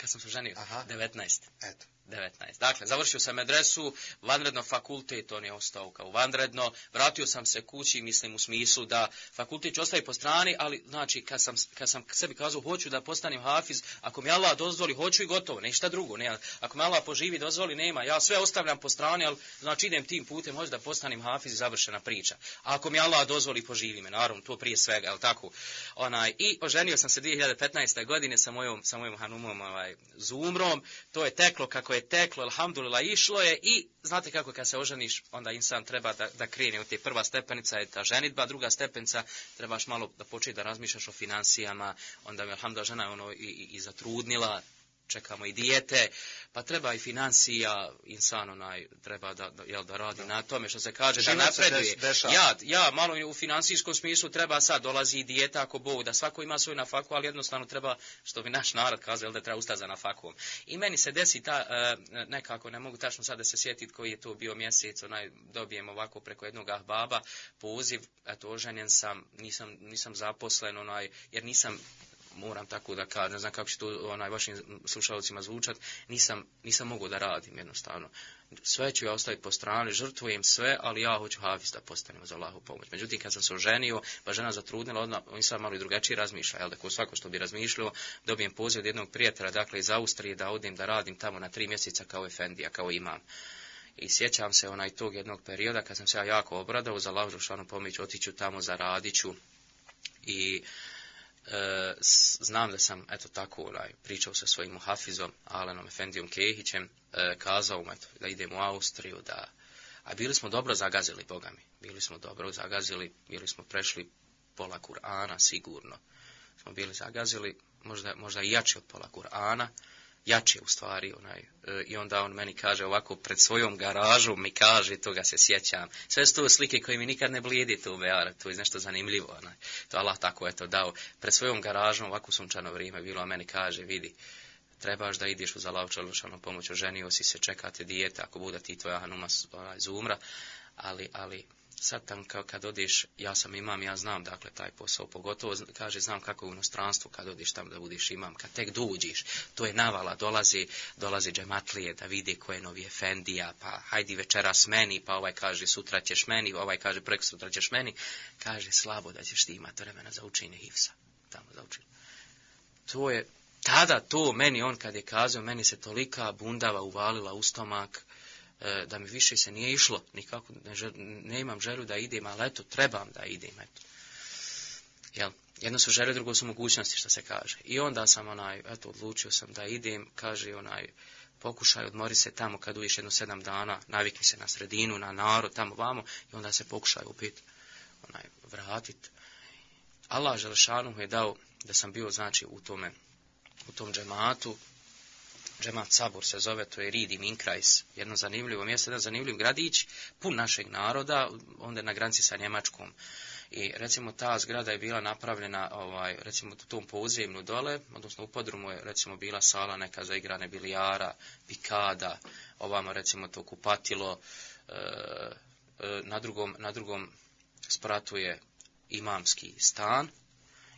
kad sam se ženio? Aha. 19. Eto. 19. Dakle, završio sam medresu, vanredno fakultet, on je ostao kao vanredno, vratio sam se kući, mislim u smislu da fakultet ću ostaviti po strani, ali znači kad sam sebi kazao hoću da postanem hafiz, ako mi Allah dozvoli, hoću i gotovo, ništa drugo, ne, ako mi Allah poživi, dozvoli, nema, ja sve ostavljam po strani, ali znači idem tim putem, hoću da postanem hafiz i završena priča. A ako mi Allah dozvoli, poživi me, naravno, to prije svega, jel tako? I oženio sam se 2015. godine sa mojom hanumom, Zumrom, to je teklo kako je teklo, alhamdulillah, išlo je i znate kako kad se oženiš, onda insan treba da krene od te prva stepenica je ta ženidba, druga stepenica trebaš malo da početi da razmišljaš o financijama, onda mi alhamdulillah žena i zatrudnila, čekamo i dijete, pa treba i financija, insan treba da radi na tome što se kaže, da napreduje. Ja, malo u financijskom smislu treba sad, dolazi i dijeta ako Bog, da svako ima svoju nafaku, ali jednostavno treba, što bi naš narod kazao, da treba ustati za nafakom. I meni se desi nekako, ne mogu tačno sad da se sjetiti koji je to bio mjesec, dobijem ovako preko jednog ahbaba poziv, eto, oženjen sam, nisam zaposlen, jer nisam, moram tako da kažem, ne znam kako će to vašim slušalcima zvučati, nisam mogao da radim jednostavno. Sve ću ja ostaviti po strani, žrtvujem sve, ali ja hoću hafiz da postanem za Allahu pomoć. Međutim, kad sam se oženio, pa žena zatrudnila, odmah on sam malo i drugačije razmišlja, jel da ko svako što bi razmišljao, dobijem poziv od jednog prijatelja, dakle iz Austrije, da odem da radim tamo na 3 mjeseca kao efendija, kao imam. I sjećam se tog jednog perioda kad sam se ja jako obradao za Allahu dželešanu pomoć, otiću tamo, zaradit ću i znam da sam, eto tako, pričao sa svojim muhafizom, Alenom Efendijom Kehićem, kazao mu, da idem u Austriju, a bili smo dobro zagazili, Boga mi, bili smo prešli pola Kur'ana, sigurno, smo bili zagazili, možda i jači od pola Kur'ana, jače u stvari, i onda on meni kaže ovako pred svojom garažom, mi kaže, toga se sjećam, sve su to slike koje mi nikad ne blijedi tu u Beara, to je nešto zanimljivo, to Allah tako eto dao, pred svojom garažom, ovako sunčano vrijeme bilo, a meni kaže, vidi, trebaš da ideš uz Allahu dželešanu pomoć, oženio si se, čekate dijete, ako bude ti tvoja hanuma Zumra, ali sad tam kad odeš, ja sam imam, ja znam dakle taj posao, pogotovo kaže znam kako u inostranstvu kad odeš tamo da budeš imam, kad tek dođeš, to je navala, dolazi džematlije da vide ko je novi efendija, pa hajdi večeras meni, pa ovaj kaže sutra ćeš meni, ovaj kaže prekosutra ćeš meni, kaže slabo da ćeš ti imati vremena za učenje hifsa, tamo za učenje. To je, tada to meni, on kad je kazao, meni se tolika bundava uvalila u stomak, da mi više se nije išlo, nikako ne imam želju da idem, ali eto, trebam da idem, eto. Jel? Jedno su želje, drugo su mogućnosti, što se kaže. I onda sam, odlučio sam da idem, kaže, pokušaj, odmori se tamo kad uviš 7 dana, navikni se na sredinu, na narod, tamo vamo, i onda se pokušaj opet, vratit. Allah dželešanu je dao da sam bio, znači, u tom džematu, Džemat Sabur se zove, to je Ridi Minkrajs, jedno zanimljivo mjesto, jedan zanimljiv gradić, pun našeg naroda, onda na granici sa Njemačkom. I recimo ta zgrada je bila napravljena, recimo u tom podzemlju dole, odnosno u podrumu je recimo bila sala neka za igrane bilijara, pikada, ovamo recimo to kupatilo, na drugom spratu je imamski stan,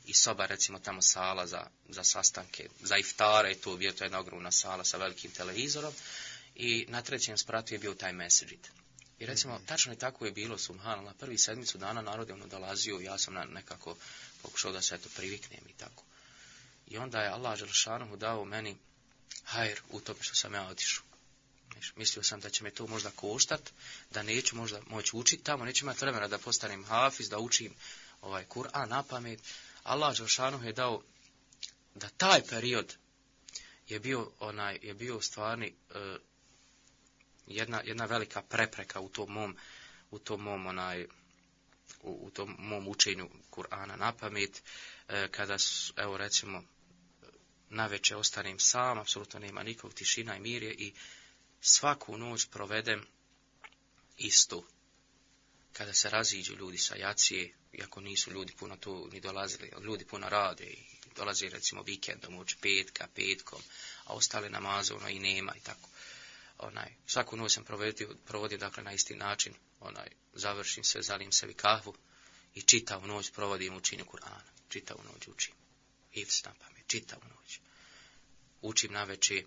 i soba, recimo tamo sala za sastanke, za iftare, to je jedna ogromna sala sa velikim televizorom, i na 3. spratu je bio taj mesdžid. I recimo, tačno je tako je bilo, subhanallah, prvi 7 dana narod je dolazio, ja sam nekako pokušao da se eto priviknem i tako. I onda je Allah dželešanu dao meni hajr u tome što sam ja otišao. Mislio sam da će me to možda koštat, da neću možda moći učiti tamo, neću imati vremena da postanem hafiz, da učim Kur'an na pamet. Allah dželešanu je dao da taj period je bio stvarni jedna velika prepreka u tom mom učenju Kur'ana na pamet, kada evo recimo navečer ostanem sam, apsolutno nema nikog, tišina i mir je, i svaku noć provedem isto. Kada se raziđu ljudi sa jacije, iako nisu ljudi puno tu ni dolazili, ljudi puno rade i dolaze recimo vikendom, uoči petkom, a ostale namaze i nema i tako. Svaku noć sam provodio dakle na isti način, završim sve, zalijem sebi kahvu i čitavu noć provodim učenju Kur'ana, čitavu noć učim, hifz na pamet, čitavu noć. učim naveče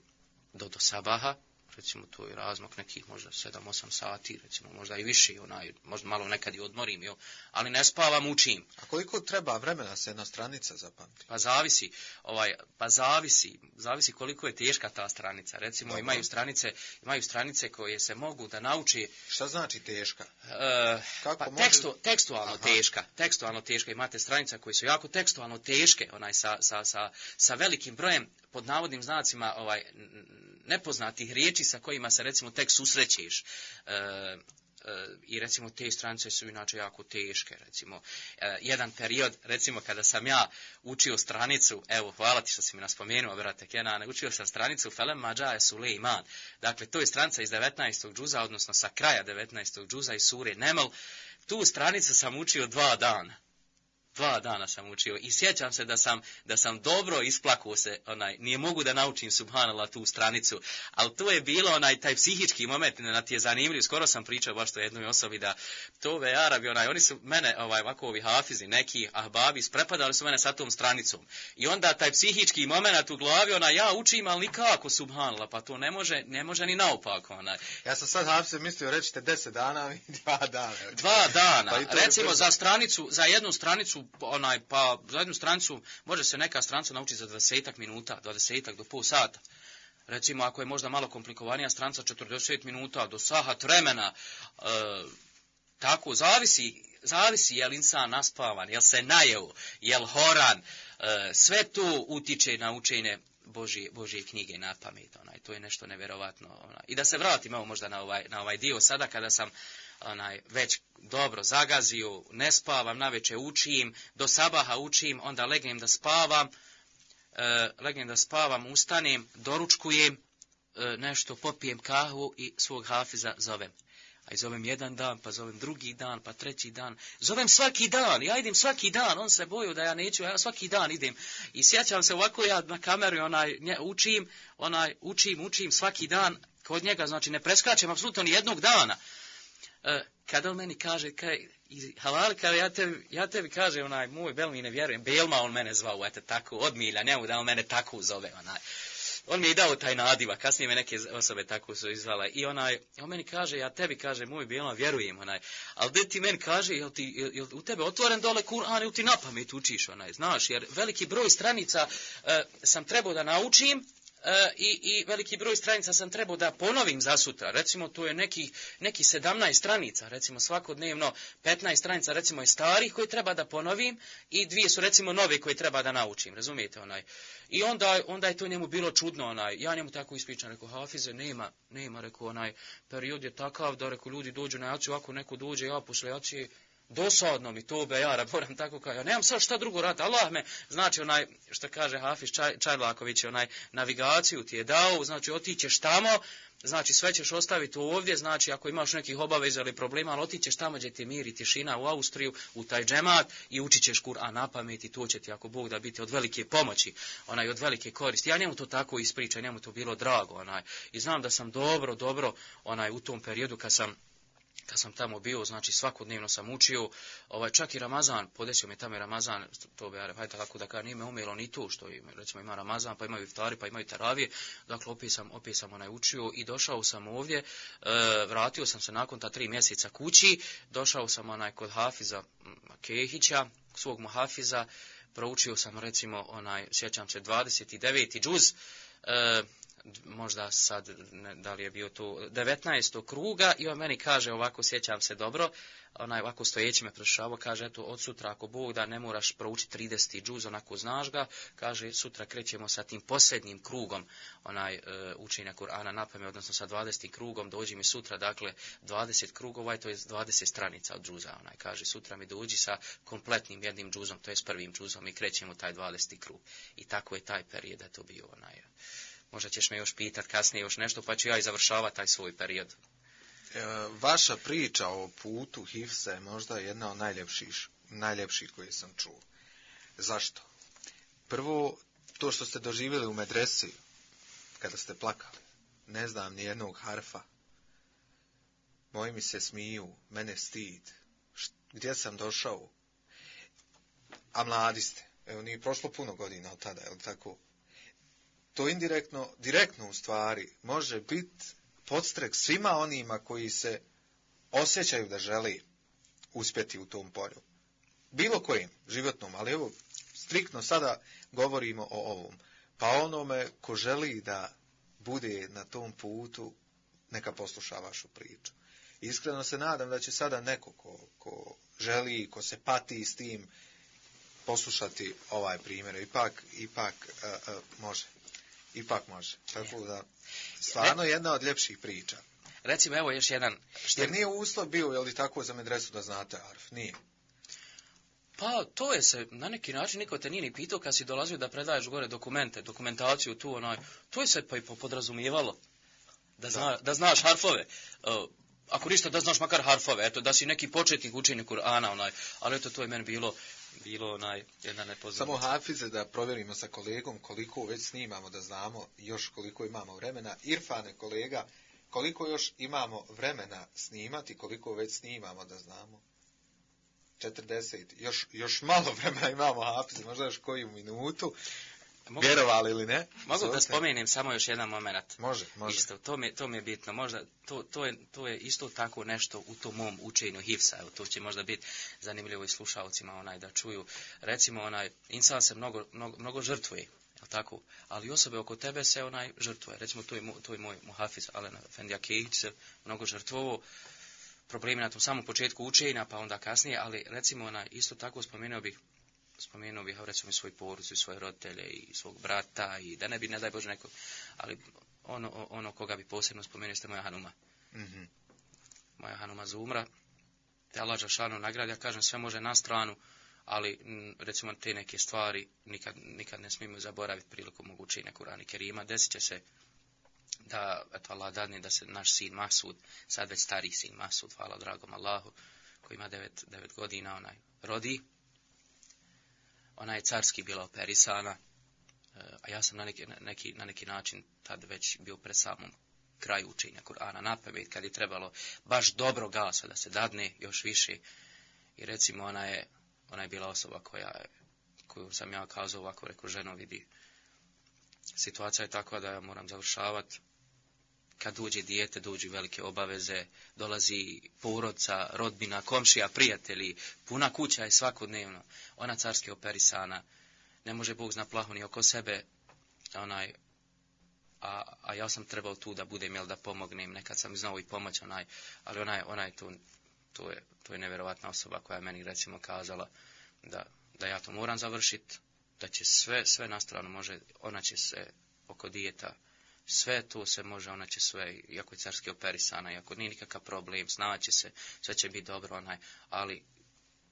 do sabaha, recimo to je razmak nekih možda 7-8 sati, recimo možda i više, možda malo nekad i odmorim, ali ne spavam, učim. A koliko treba vremena se jedna stranica zapamti? Pa zavisi koliko je teška ta stranica. Recimo imaju stranice koje se mogu da nauči. Šta znači teška? Tekstualno teška. Imate stranica koje su jako tekstualno teške, sa velikim brojem pod navodnim znacima nepoznatih riječi sa kojima se recimo tek susrećeš. I recimo te stranice su inače jako teške. Recimo, jedan period, recimo kada sam ja učio stranicu, evo, hvala ti što si mi naspomenuo, brate Kenane, učio sam stranicu Felem Mađaje Sulejman. Dakle, to je stranica iz 19. džuza, odnosno sa kraja 19. džuza iz sure Neml. Tu stranicu sam učio 2 dana. 2 dana sam učio i sjećam se da sam dobro isplakao se, nije mogu da naučim subhanallah tu stranicu, ali to je bilo taj psihički moment, na ti je zanimljiv, skoro sam pričao baš to jednoj osobi da to ove Arabi, oni su mene, ovako ovi hafizi, neki ahbabi, sprepadali su mene sa tom stranicom i onda taj psihički moment u glavi, ja učim, ali nikako subhanallah, pa to ne može ni naopako. Ja sam sad hafiz mislio, rećete 10 dana i 2 dana. 2 dana, pa recimo za jednu stranicu, za jednu stranicu može se neka stranica naučiti za 20 minuta, 20 do pol sata. Recimo, ako je možda malo komplikovanija stranica, 40 minuta do sahat vremena. Tako, zavisi je li insan naspavan, jel se najeo, jel horan. Sve to utiče na učenje Božje knjige na pamet. To je nešto nevjerovatno. I da se vratim možda na ovaj dio sada kada sam već dobro zagazio, ne spavam, naveče učim, do sabaha učim, onda legnem da spavam, ustanem, doručkujem, nešto popijem kahvu i svog hafiza zovem. A zovem jedan dan, pa zovem drugi dan, pa treći dan. Zovem svaki dan, ja idem svaki dan, on se boju da ja neću, ja svaki dan idem. I sjećam se ovako ja na kameru učim svaki dan kod njega, znači ne preskačem apsolutno ni jednog dana. Kada on meni kaže, halal, ja tebi kaže, moj Belmi ne vjerujem, Belma on mene zvao, tako, od milja, njemu da on mene tako zove, On mi je dao taj nadiva, kasnije me neke osobe tako su izvale. I on meni kaže, ja tebi kaže, moj Belma, vjerujem, ali da ti meni kaže, jel u tebe otvoren dole Kur'an ili ti na pamet učiš, znaš, jer veliki broj stranica sam trebao da naučim, i veliki broj stranica sam trebao da ponovim za sutra. Recimo, to je neki 17 stranica, recimo svakodnevno 15 stranica, recimo je starih koje treba da ponovim i 2 su recimo nove koje treba da naučim, razumijete I onda je to njemu bilo čudno, ja njemu tako ispričam, rekao, hafize, nema, rekao, period je takav da, rekao, ljudi dođu na jaciju, ako neko dođe, ja posle jacije, dosadno mi to ja moram tako kao, ja nemam sad šta drugo raditi, Allah me, znači što kaže Hafiz Čajlaković, navigaciju ti je dao, znači otićeš tamo, znači sve ćeš ostaviti ovdje, znači ako imaš nekih obaveza ili problema, ali otićeš tamo gdje ti mir i tišina u Austriju, u taj džemat i učit ćeš Kur'an na pamet i to će ti ako Bog da biti od velike pomoći, od velike koristi. Ja njemu to tako ispričam, njemu to bilo drago, i znam da sam dobro, u tom periodu kad sam tamo bio, znači svakodnevno sam učio, čak i Ramazan, podesio me tamo Ramazan, to bi hajde tako da kažem, nije me umjelo ni to, što recimo ima Ramazan, pa imaju iftari, pa imaju taravije, dakle opet sam učio i došao sam ovdje, vratio sam se nakon ta 3 mjeseca kući, došao sam kod Hafiza Kehića, svog muhafiza, proučio sam recimo sjećam se 29. džuz, možda sad, da li je bio to 19. kruga i on meni kaže ovako, sjećam se dobro, ovako stojeći me prošao, kaže, eto, od sutra ako Bog da ne moraš proučiti 30. džuz, onako znaš ga, kaže, sutra krećemo sa tim posljednjim krugom, učenja Kur'ana na pamet, odnosno sa 20. krugom, dođi mi sutra, dakle, 20 krugova, to je 20 stranica od džuza, kaže, sutra mi dođi sa kompletnim jednim džuzom, to je s prvim džuzom i krećemo taj 20. krug. I tako je taj period, to bio Možda ćeš me još pitat kasnije još nešto, pa ću ja i završavati taj svoj period. Vaša priča o putu Hifza je možda jedna od najljepših koje sam čuo. Zašto? Prvo, to što ste doživjeli u medresi, kada ste plakali, ne znam ni jednog harfa, moji mi se smiju, mene stid, gdje sam došao, a mladi ste, evo nije prošlo puno godina od tada, je li tako? to direktno u stvari može biti podstrek svima onima koji se osjećaju da želi uspjeti u tom polju. Bilo kojim životnom, ali evo, striktno sada govorimo o ovom. Pa onome ko želi da bude na tom putu, neka posluša vašu priču. Iskreno se nadam da će sada neko ko želi, ko se pati s tim, poslušati ovaj primjer. Ipak može. Ipak može. Tako da, stvarno jedna od ljepših priča. Recimo, evo još jedan... Jer nije uslov bio, je li tako, za medresu da znate arf? Nije. Pa, to je se, na neki način, niko te nije ni pitao kad si dolazio da predaješ gore dokumentaciju tu, to je se pa i podrazumijevalo. Da znaš harfove. Ako ništa, da znaš makar harfove. Eto, da si neki početnik učenja Kur'ana, ali eto, to je meni bilo jedna nepoznata. Samo hafize da provjerimo sa kolegom koliko već snimamo, da znamo još koliko imamo vremena. Irfane, kolega, koliko još imamo vremena snimati, koliko već snimamo, da znamo. 40. Još malo vremena imamo, hafize, možda još koju minutu. Vjerovali ili ne? Mogu da spomenem samo još jedan moment. Može. Isto, to mi je bitno. Možda, to je isto tako nešto u tom mom učenju hifsa. Evo, to će možda biti zanimljivo i slušalcima da čuju. Recimo, insan se mnogo žrtvuje, jel tako? Ali osobe oko tebe se žrtvuje. Recimo, to je moj muhafiz Alen Efendi Akejić se mnogo žrtvovao. Problemi na tom samom početku učenja, pa onda kasnije, ali recimo, isto tako spomenuo bih recimo svoju porodicu, svoje roditelje i svog brata i da ne bi, ne daj Bože, neko, ali ono koga bi posebno spomenuo ste moja Hanuma. Mm-hmm. Moja Hanuma Zumra, te Allah dželešanu nagradi, ja kažem sve može na stranu, ali recimo te neke stvari nikad ne smijemo zaboraviti prilikom mog učenja Kur'ana Kerima. Desit će se da, eto Allah dadne da se naš sin Masud, sad već stariji sin Masud, hvala dragom Allahu, koji ima 9 godina, rodi. Ona je carski bila operisana, a ja sam na neki način tad već bio pred samom kraju učenja Kur'ana napamet, kad je trebalo baš dobro gasa da se dadne još više. I recimo ona je bila osoba koju sam ja kazao ovako, rekao, ženo, vidi, situacija je takva da ja moram završavati. Kad dođe dijete, dođu velike obaveze, dolazi porodca, rodbina, komšija, prijatelji, puna kuća je svakodnevno. Ona carski operisana, ne može Bog zna plahu ni oko sebe, a ja sam trebao tu da budem, da pomognem, nekad sam znao i pomoć, ali ona je to je nevjerovatna osoba koja je meni recimo kazala da ja to moram završiti, da će sve na stranu može, ona će se oko dijeta, sve to se može, ona će sve, iako je carski operisana, iako nije nikakav problem, snaće se, sve će biti dobro, ali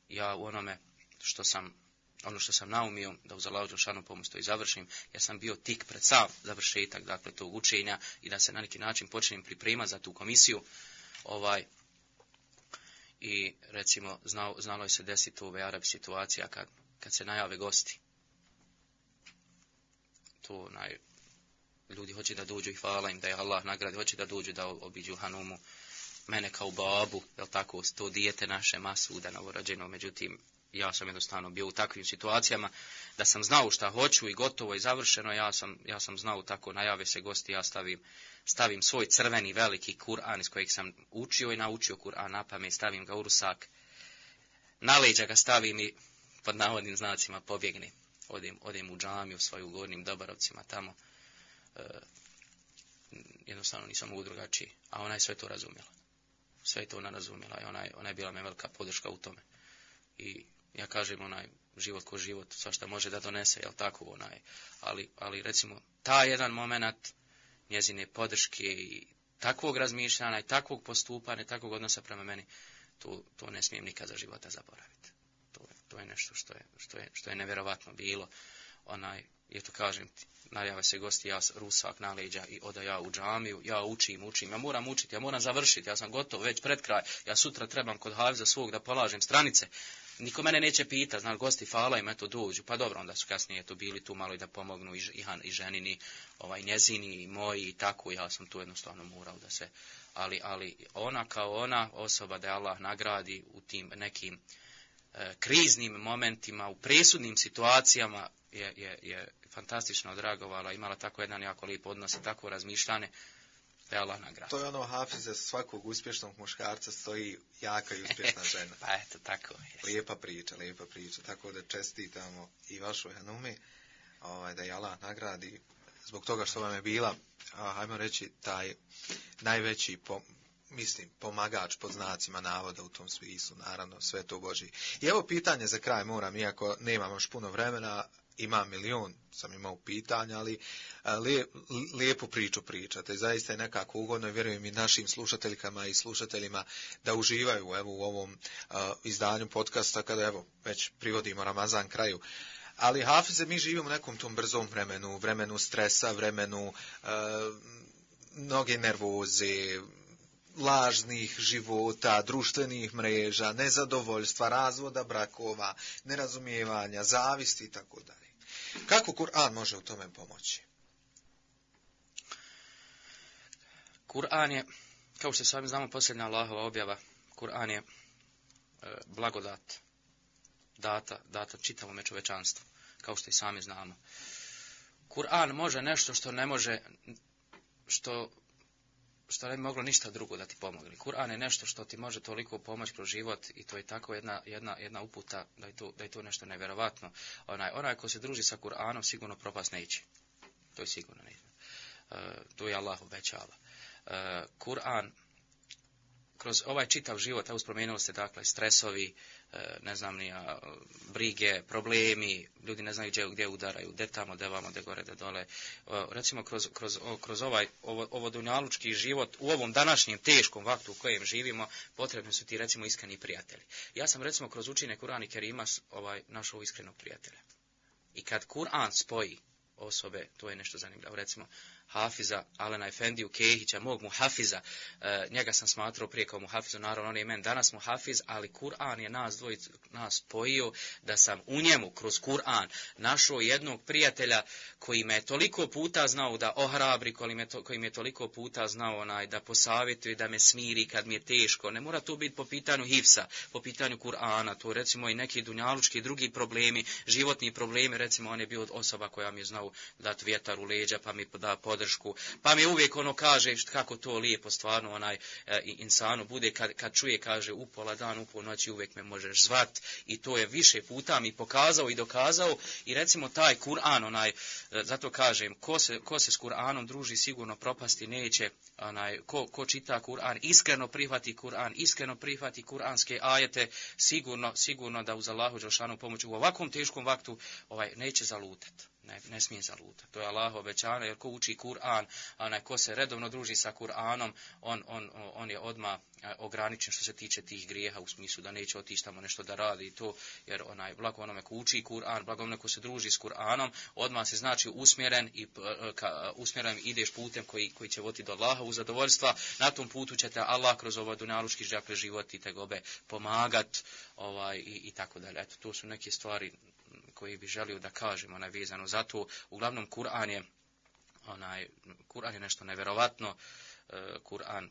ja u onome što sam naumio, da uz Allahu dželešanu pomoć to i završim, ja sam bio tik pred sam završetak, dakle, tog učenja i da se na neki način počnem pripremati za tu komisiju, i recimo znalo je se desiti u Arabi situacija kad se najave gosti. To ljudi hoće da dođu i hvala im da je Allah nagradi, hoće da dođu da obiđu Hanumu, mene kao babu, jel tako, to dijete naše Masuda novorođeno, međutim, ja sam jednostavno bio u takvim situacijama da sam znao šta hoću i gotovo i završeno, ja sam znao tako, najave se gosti, ja stavim svoj crveni veliki Kur'an iz kojeg sam učio i naučio Kur'an napamet, stavim ga u rusak, na leđa ga stavim i pod navodnim znacima pobjegnem, odem u džamiju svoju Gornjim Dobarovcima tamo, jednostavno nisam mogu drugačiji, a ona je sve to razumjela. Sve je to ona razumjela i ona je bila me velika podrška u tome. I ja kažem, život ko život, svašta može da donese, jel tako, ali recimo, taj jedan moment njezine podrške i takvog razmišljanja i takvog postupanja, takvog odnosa prema meni, to ne smijem nikad za života zaboraviti. To je nešto što je nevjerovatno bilo. Eto kažem, najave se gosti, ja rusak na leđa i oda ja u džamiju, ja učim, ja moram učiti, ja moram završiti, ja sam gotov već pred kraj, ja sutra trebam kod hafiza svog da polažem stranice. Niko mene neće pitati, gosti hvala im, eto dođu, pa dobro, onda su kasnije bili tu malo i da pomognu i ženini, njezini, i moji i tako, ja sam tu jednostavno morao da se, ali ona kao ona osoba da je Allah nagradi u tim nekim kriznim momentima, u presudnim situacijama je fantastično odreagovala, imala tako jedan jako lijep odnos i tako razmišljanje, da je Allah nagrada. To je ono, Hafize, svakog uspješnog muškarca stoji jaka i uspješna žena. Pa eto, tako je. Lijepa priča. Tako da čestitamo i vašoj hanumi, da je Allah nagradi zbog toga što vam je bila, hajmo reći, taj najveći pomagač pod znacima navoda u tom smislu, naravno, sve to Božji. I evo pitanje za kraj moram, iako nemam još puno vremena, imam milion, sam imao pitanja, ali lijepu priču pričate. Zaista je nekako ugodno i vjerujem i našim slušateljkama i slušateljima da uživaju u ovom izdanju podcasta kada već privodimo Ramazan kraju. Ali Hafize, mi živimo u nekom tom brzom vremenu stresa, vremenu mnoge nervoze, lažnih života, društvenih mreža, nezadovoljstva, razvoda brakova, nerazumijevanja, zavisti i tako dalje. Kako Kur'an može u tome pomoći? Kur'an je, kao što sami znamo, posljednja Allahova objava. Kur'an je blagodat data čitavom čovječanstvu, kao što i sami znamo. Kur'an može nešto što ne može, što ne bi moglo ništa drugo da ti pomogne. Kur'an je nešto što ti može toliko pomoći kroz život i to je tako jedna uputa da je to nešto nevjerovatno. Onaj ko se druži sa Kur'anom sigurno propast neće. To je sigurno neće. To je Allah obećava. Kur'an kroz ovaj čitav život, evo spomenuli ste dakle stresovi, ne znam ni brige, problemi, ljudi ne znaju gdje udaraju, gdje tamo, gdje vamo, gdje gore, gdje dole. Recimo kroz ovo dunjalučki život, u ovom današnjem teškom vaktu u kojem živimo, potrebni su ti recimo iskreni prijatelji. Ja sam recimo kroz učenje Kur'ana i Kerima našao iskrenog prijatelja. I kad Kur'an spoji osobe, to je nešto zanimljivo. Recimo, Hafiza, Alena Efendiju Kehića, mog Muhafiza, njega sam smatrao prije kao Muhafizu, naravno on je men danas Muhafiz, ali Kur'an je nas spojio da sam u njemu, kroz Kur'an, našao jednog prijatelja koji me je toliko puta znao da ohrabri, koji me je toliko puta znao da posavjetuje, da me smiri kad mi je teško. Ne mora to biti po pitanju hifsa, po pitanju Kur'ana, to recimo i neki dunjalučki drugi problemi, životni problemi, recimo on je bio osoba koja mi je znao dati vjetar u leđa, pa mi da podršku, pa mi uvijek kaže kako to lijepo stvarno insanu bude kad čuje, kaže u pola dan, u pol noći uvijek me možeš zvat i to je više puta mi pokazao i dokazao i recimo taj Kur'an, zato kažem, ko se s Kur'anom druži sigurno propasti neće, ko čita Kur'an, iskreno prihvati Kur'an, iskreno prihvati kuranske ajete, sigurno da uz Allahu dželešanu pomoć u ovakvom teškom vaktu neće zalutati. Ne smije zalutati. To je Allah obećano, jer ko uči Kur'an, ko se redovno druži sa Kur'anom, on je odmah ograničen što se tiče tih grijeha, u smislu da neće otići tamo nešto da radi i to, jer blago onome ko uči Kur'an, blago onome ko se druži s Kur'anom, odmah se znači usmjeren ideš putem koji će voditi do Allaha u zadovoljstva. Na tom putu će te Allah kroz ovaj dunjalučki život i tegobe pomagat i tako dalje. Eto, to su neke stvari koji bi želio da kažem, vezano za to. Uglavnom, Kur'an je nešto nevjerovatno,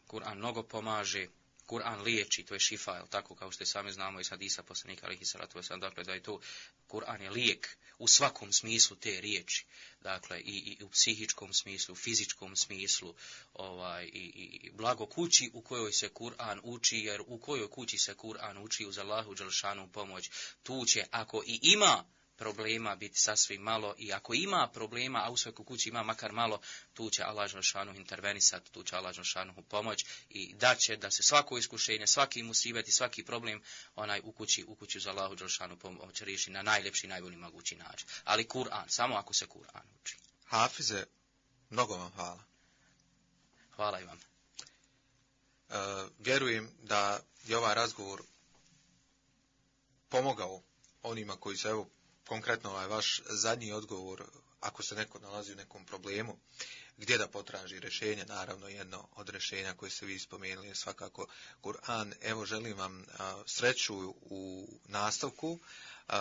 Kur'an mnogo pomaže, Kur'an liječi, to je šifa, tako kao što i sami znamo iz hadisa poslanika alejhi salatu vesselam, dakle da je to, Kur'an je lijek u svakom smislu te riječi, dakle i u psihičkom smislu, u fizičkom smislu, i blago kući u kojoj se Kur'an uči, jer u kojoj kući se Kur'an uči uz Allahu dželešanu pomoć, tu će, ako i ima problema biti sasvim malo i ako ima problema, a u svakoj kući ima makar malo, tu će Allah dželešanu intervenisati, tu će Allah dželešanu pomoć i daće da se svako iskušenje, svaki musibet i svaki problem u kući uz Allahu dželešanu pomoć riješi na najljepši, najbolji mogući način. Ali Kur'an, samo ako se Kur'an uči. Hafize, mnogo vam hvala. Hvala i vam. Vjerujem da je ovaj razgovor pomogao onima koji se, konkretno vaš zadnji odgovor, ako se neko nalazi u nekom problemu, gdje da potraži rješenje, naravno jedno od rješenja koje ste vi spomenuli je svakako Kur'an. Evo, želim vam sreću u nastavku,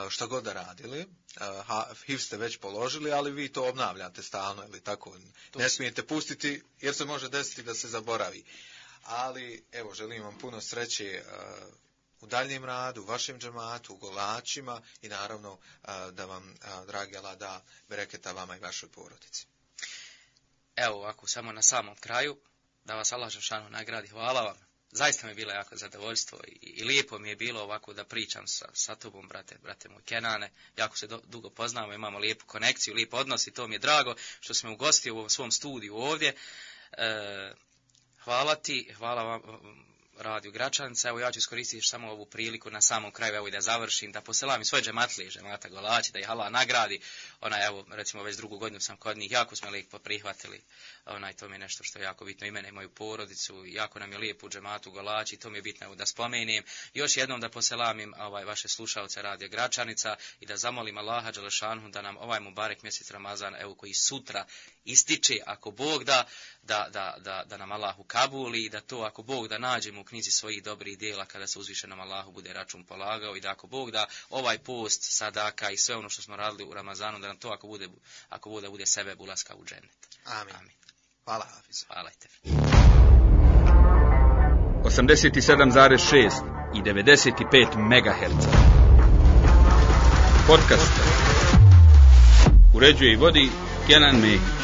šta god da radili. HIV ste već položili, ali vi to obnavljate stalno, ili tako? Ne smijete pustiti, jer se može desiti da se zaboravi. Ali, evo, želim vam puno sreće u daljnjem radu, u vašem džematu, u Golačima i naravno da vam, dragi Allah, da bereketa vama i vašoj porodici. Evo ovako, samo na samom kraju, da vas Allah dželešanu nagradi, hvala vam. Zaista mi je bilo jako zadovoljstvo i lijepo mi je bilo ovako da pričam sa tobom, brate moj Kenane. Jako se dugo poznamo, imamo lijepu konekciju, lijep odnos i to mi je drago što sam me ugostio u svom studiju ovdje. Hvala ti, hvala vam, Radio Gračanica. Evo ja ću iskoristiti samo ovu priliku na samom kraju, evo i da završim, da poselam i svoje džematlije, džemata Golači, da ih Allah nagradi. Evo, recimo već drugu godinu sam kod njih, jako smo lijepo prihvatili. To mi je nešto što je jako bitno i mene i moju porodicu, jako nam je lijepo u džematu Golači, to mi je bitno da spomenem. Još jednom da poselamim vaše slušalce Radio Gračanica i da zamolim Allaha dželešanu da nam ovaj mubarek mjesec Ramazan, evo koji sutra ističe, ako Bog da nam Allah ukabuli i da to, ako Bog da nađemo u knjizi svojih dobrih djela kada se uzvišenom Allahu bude račun polagao i da ako Bog da ovaj post, sadaka i sve ono što smo radili u Ramazanu, da nam to ako bude sebeb ulaska u džennet. Amin. Hvala, Hafiz. Hvala te. 87,6 i 95 MHz. Podcast. Uređuje i vodi Kenan Mehić.